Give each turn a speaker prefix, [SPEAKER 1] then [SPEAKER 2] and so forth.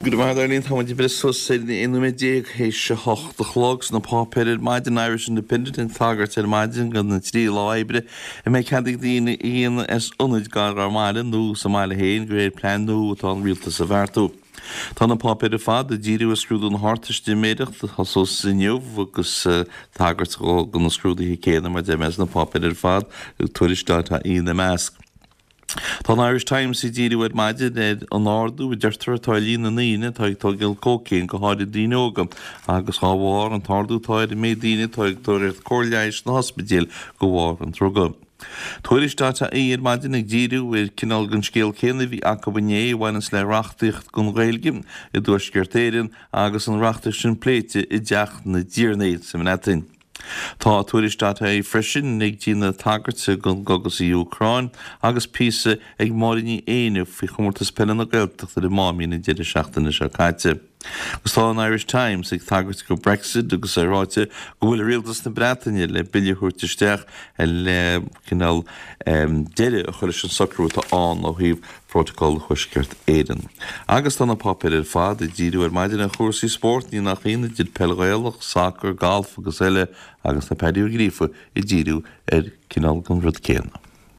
[SPEAKER 1] Go raibh maith agat Eileen, tá muid ag breith suas ar 11 nóiméad théis a 8 a chlog sna páipéir ar maidin, Irish Independent ag tagairt ar maidin do na 3 lá oibre a mbeidh cead ag daoine a dhéanamh as ionaid gar dá mbaile nó sa mbaile féin de réir plean nua atá an rialtas a bheartú. Tá na páipéir ar fad ag díriú ar scrúdú na hArdteistiméireachta a thosós inniu agus tagairt do na scrúduithe céanna mar a deir mé sna páipéir ar fad, Tuairisc.ie ina measc. Tá an Irish Times ag díriú ar maidin ar an ardú a deirtear atá ar líon na ndaoine atá ag tógáil cócaon, go háirid daoine óga, agus dhá bharr an t-ardú atá ar an méid daoine atá ag tóraíocht cóir leighis sna hospidéil de bharr an druga. Tuairisc.ie ar maidin ag díriú ar cineál den scéal céanna a bhí acu inné a bhaineanns le reachtaíocht don Ghaeilge i dTuaisceart Éireann agus an reachtaíocht sin pléite i dTeach na dTiarnaí sa mBreatain. Tá Tuairisc.ie freisin ag déanamh tagairte don gcogadh sa Úcráin agus píosa ag Máire Ní Éinne faoi Chomórtas Peile na Gaeltachta ar an Máimín an deireadh seachtaine seo caite. Agus tá an Irish Times ag tagairt do Brexit agus é ráite go bhfuil Rialtas na Breataine le bille a thabhairt isteach le cineál deireadh a chur leis an socrú atá ann ó thaobh Phrótacal Thuaisceart Éireann. Agus tá na páipéir ar fad ag díriú ar maidin ar chúrsaí spóirt, ní nach ionadh, idir peil Ghaelach, sacar, galf agus eile, agus tá Paddy Ó Gríofa ag díriú ar cineál den rud céanna.